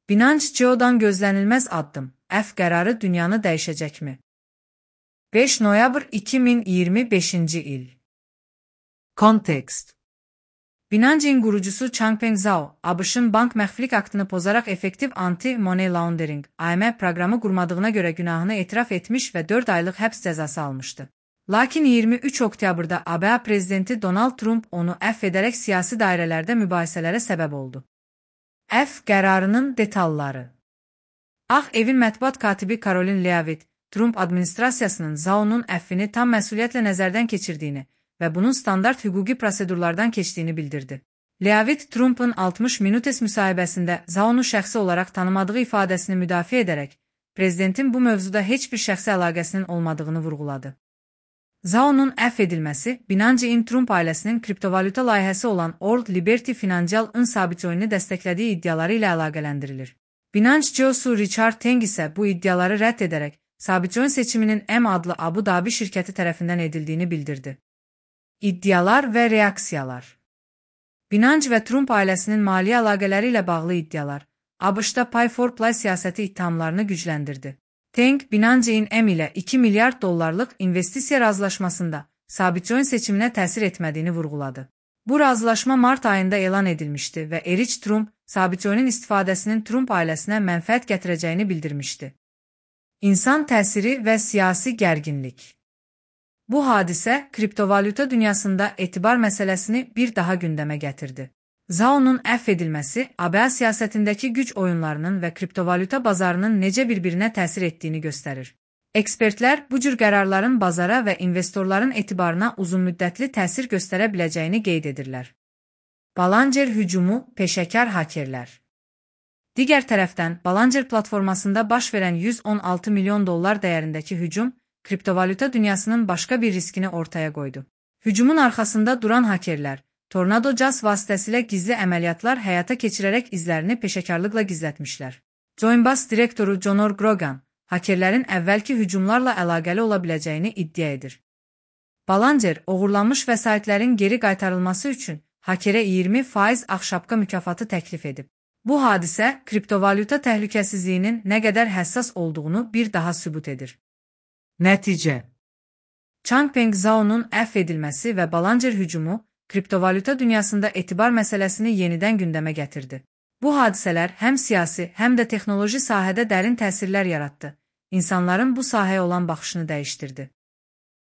Binance Geo'dan gözlənilməz addım. F qərarı dünyanı dəyişəcəkmi? 5 noyabr 2025 il. Kontekst. Binance'in qurucusu Changpeng Zhao, ABŞ-ın bank məxfilik aktını pozaraq effektiv anti-money laundering (AML) proqramı qurmadığına görə günahını etiraf etmiş və 4 aylıq həbs cəzası almışdı. Lakin 23 oktyabrda ABŞ prezidenti Donald Trump onu əfv edərək siyasi dairələrdə mübahisələrə səbəb oldu. F qərarının detalları. Ağ Evin mətbuat katibi Caroline Leavitt, Trump administrasiyasının Zhao'nun əffini tam məsuliyyətlə nəzərdən keçirdiyini və bunun standart hüquqi prosedurlardan keçdiyini bildirdi. Leavitt, Trump'ın 60 Minutes müsahibəsində Zhao'nu şəxsi olaraq tanımadığı ifadəsini müdafiə edərək, prezidentin bu mövzuda heç bir şəxsi əlaqəsinin olmadığını vurğuladı. Zhao'nun əfv edilməsi, Binance'in Trump ailəsinin kriptovalyuta layihəsi olan World Liberty Financial-ın Sabitcoin'i dəstəklədiyi iddiaları ilə əlaqələndirilir. Binance CEO-su Richard Teng isə bu iddiaları rədd edərək, Sabitcoin seçiminin M adlı Abu Dhabi şirkəti tərəfindən edildiyini bildirdi. İddialar və reaksiyalar. Binance və Trump ailəsinin maliyyə əlaqələri ilə bağlı iddialar, ABŞ-da Pay for Play siyasəti ittihamlarını gücləndirdi. Teng, Binance'in M ilə 2 milyard dollarlıq investisiya razılaşmasında Sabitcoin seçiminə təsir etmədiyini vurğuladı. Bu razılaşma mart ayında elan edilmişdi və Erich Trump, Sabitcoin'in istifadəsinin Trump ailəsinə mənfəət gətirəcəyini bildirmişdi. İnsan təsiri və siyasi gərginlik. Bu hadisə, kriptovalyuta dünyasında etibar məsələsini bir daha gündəmə gətirdi. Zhao'nun əfv edilməsi, ABŞ siyasətindəki güc oyunlarının və kriptovalyuta bazarının necə bir-birinə təsir etdiyini göstərir. Ekspertlər bu cür qərarların bazara və investorların etibarına uzunmüddətli təsir göstərə biləcəyini qeyd edirlər. Balanger hücumu, peşəkar hakerlər. Digər tərəfdən, Balanger platformasında baş verən 116 milyon dollar dəyərindəki hücum, kriptovalyuta dünyasının başqa bir riskini ortaya qoydu. Hücumun arxasında duran hakerlər, Tornado Jazz vasitəsilə gizli əməliyyatlar həyata keçirərək izlərini peşəkarlıqla gizlətmişlər. Coinbase direktoru Conor Grogan, hakerlərin əvvəlki hücumlarla əlaqəli ola biləcəyini iddia edir. Balanger, oğurlanmış vəsaitlərin geri qaytarılması üçün hakerə 20% ağşapka mükafatı təklif edib. Bu hadisə, kriptovalyuta təhlükəsizliyinin nə qədər həssas olduğunu bir daha sübut edir. Nəticə. Changpeng Zhao'nun əfv edilməsi və Balanger hücumu, kriptovalyuta dünyasında etibar məsələsini yenidən gündəmə gətirdi. Bu hadisələr həm siyasi, həm də texnoloji sahədə dərin təsirlər yaratdı. İnsanların bu sahəyə olan baxışını dəyişdirdi.